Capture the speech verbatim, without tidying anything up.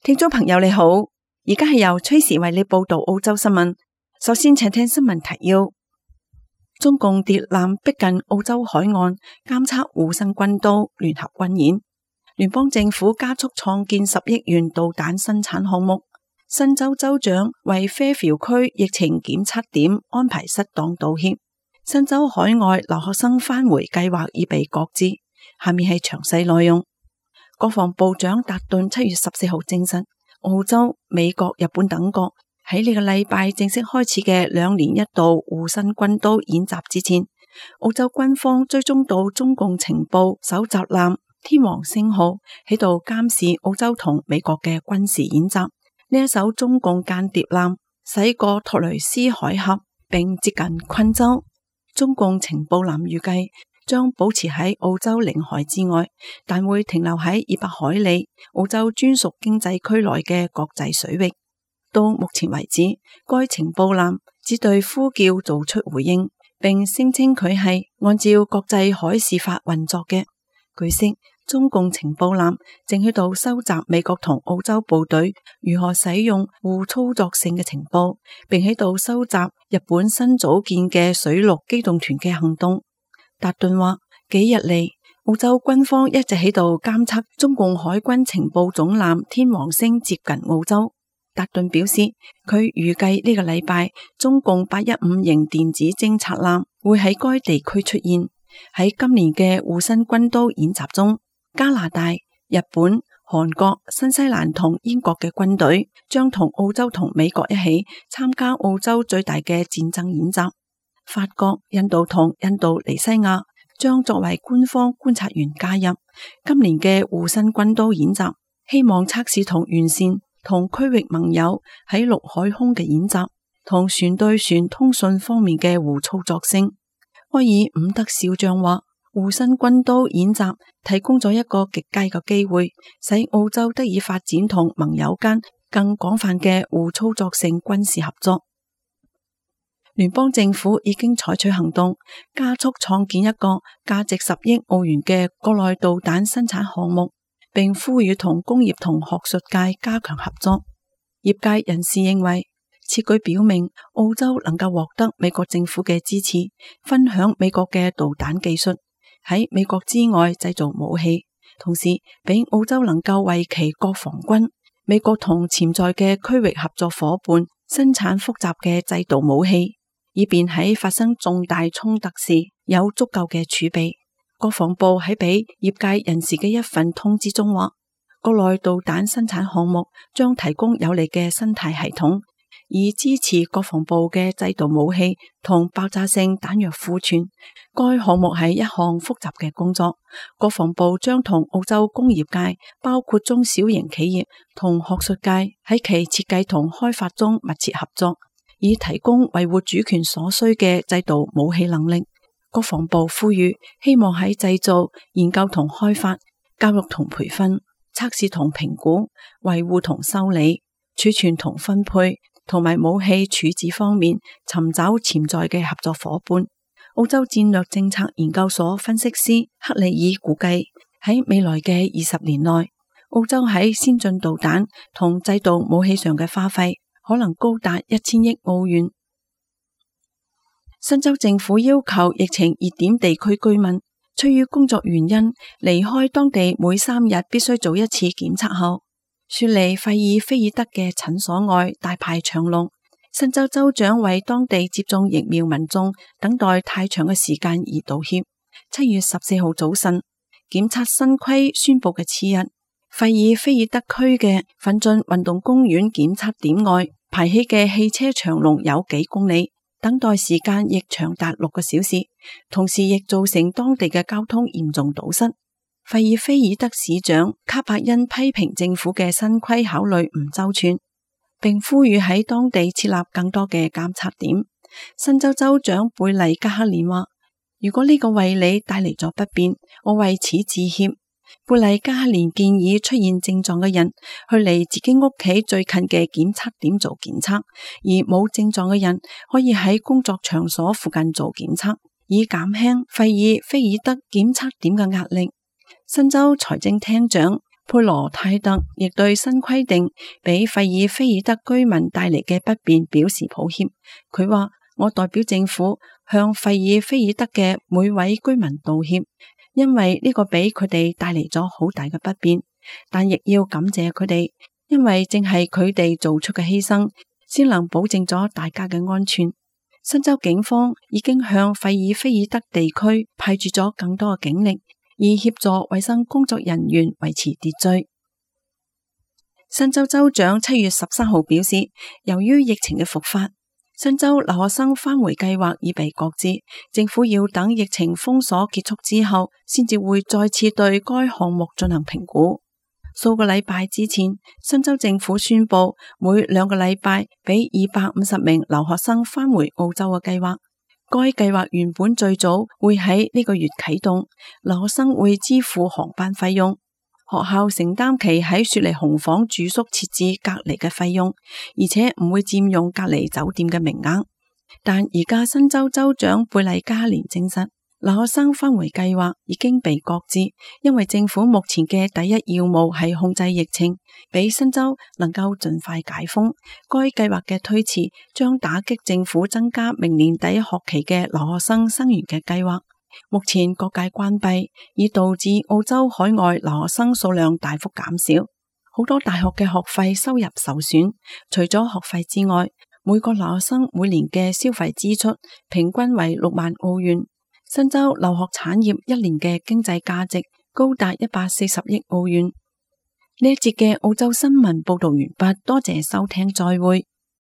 聽眾朋友你好，而家係由崔時為你報道澳洲新聞。首先請聽新聞提要：中共諜艦逼近澳洲海岸，監測護身軍刀聯合軍演。聯邦政府加速創建十億元導彈生產項目。新州州長為啡寮區疫情檢測點安排失當道歉。新州海外留學生返回計劃已被擱置。下面係詳細內容。國防部長達頓七月十四號證實，澳洲、美國、日本等國喺呢個禮拜正式開始嘅兩年一度護身軍刀演習之前，澳洲軍方追蹤到中共情報搜集艦天王星號喺度監視澳洲同美國嘅軍事演習。呢一艘中共間諜艦駛過托雷斯海峽並接近昆州。中共情報艦預計將保持喺澳洲領海之外，但會停留喺二百海里澳洲專屬經濟區內嘅國際水域。到目前為止，該情報艦只對呼叫做出回應，並聲稱佢係按照國際海事法運作嘅。據悉，中共情報艦正喺度收集美國同澳洲部隊如何使用互操作性嘅情報，並喺度收集日本新組建嘅水陸機動團嘅行動。達頓話：幾日嚟，澳洲軍方一直喺度監測中共海軍情報總艦天王星接近澳洲。達頓表示，佢預計呢個禮拜中共八一五型電子偵察艦會喺該地區出現。喺今年嘅護身軍刀演習中，加拿大、日本、韓國、新西蘭同英國嘅軍隊將同澳洲同美國一起參加澳洲最大嘅戰爭演習。法國、印度同印度尼西亞將作為官方觀察員加入今年嘅護身軍刀演習，希望測試同完善同區域盟友喺陸海空嘅演習同船對船通訊方面嘅互操作性。埃爾伍德少將話，護身軍刀演習提供咗一個極佳嘅機會，使澳洲得以發展同盟友間更廣泛嘅互操作性軍事合作。聯邦政府已經採取行動，加速創建一個價值十億澳元嘅國內導彈生產項目，並呼籲同工業同學術界加強合作。業界人士認為，此舉表明澳洲能夠獲得美國政府嘅支持，分享美國嘅導彈技術，喺美國之外製造武器，同時俾澳洲能夠為其國防軍、美國同潛在嘅區域合作夥伴生產複雜嘅制導武器，以便喺發生重大衝突時有足夠嘅儲備。國防部喺俾業界人士嘅一份通知中話，國內導彈生產項目將提供有利嘅生態系統，以支持國防部嘅制導武器同爆炸性彈藥庫存。該項目係一項複雜嘅工作，國防部將同澳洲工業界，包括中小型企業同學術界喺其設計同開發中密切合作，以提供維護主權所需嘅制導武器能力。國防部呼籲，希望喺製造、研究同開發、教育同培訓、測試同評估、維護同修理、儲存同分配同埋武器處置方面尋找潛在嘅合作夥伴。澳洲戰略政策研究所分析師克里爾估計，喺未來嘅二十年內，澳洲喺先進導彈同製導武器上嘅花費可能高達一千億澳元。新州政府要求疫情熱點地區居民，出於工作原因離開當地每三日必須做一次檢測後，雪梨費爾菲爾德嘅診所外大排長龍。新州州長為當地接種疫苗民眾等待太長嘅時間而道歉。七月十四號早晨，檢測新規宣布嘅次日，費爾菲爾德區嘅奮進運動公園檢測點外排起嘅汽車長龍有幾公里，等待時間亦長達六個小時，同時亦造成當地嘅交通嚴重堵塞。費爾菲爾德市長卡柏恩批評政府嘅新規考慮唔周全，並呼籲喺當地設立更多嘅監測點。新州州長貝麗加克連話，如果呢個為你帶嚟咗不便，我為此致歉。貝麗加克連建議出現症狀嘅人去離自己屋企最近嘅檢測點做檢測，而冇症狀嘅人可以喺工作場所附近做檢測，以減輕費爾菲爾德檢測點嘅壓力。新州財政廳長佩羅泰特亦對新規定俾費爾菲爾德居民帶嚟嘅不便表示抱歉。佢話：我代表政府向費爾菲爾德嘅每位居民道歉，因為呢個俾佢哋帶嚟咗好大嘅不便，但亦要感謝佢哋，因為正係佢哋做出嘅犧牲，先能保證咗大家嘅安全。新州警方已經向費爾菲爾德地區派駐咗更多嘅警力，以協助衛生工作人員維持秩序。新州州長七月十三號表示，由於疫情嘅復發，新州留學生返回計劃已被擱置，政府要等疫情封鎖結束之後，先至會再次對該項目進行評估。數個禮拜之前，新州政府宣布每兩個禮拜俾二百五十名留學生返回澳洲嘅計劃。該計劃原本最早會喺呢個月啟動，留學生會支付航班費用，學校承擔其喺雪梨紅房住宿設置隔離嘅費用，而且唔會佔用隔離酒店嘅名額。但而家新州州長貝麗加連證實，留學生返回計劃已經被擱置，因為政府目前嘅第一要務係控制疫情，俾新州能夠盡快解封。該計劃嘅推遲將打擊政府增加明年第一學期嘅留學生生源嘅計劃。目前各界關閉，已導致澳洲海外留學生數量大幅減少，好多大學嘅學費收入受損。除咗學費之外，每個留學生每年嘅消費支出平均為六萬澳元。新州留學產業一年嘅經濟價值高達一百四十億澳元。呢一節嘅澳洲新聞報道完畢，多謝收聽，再會。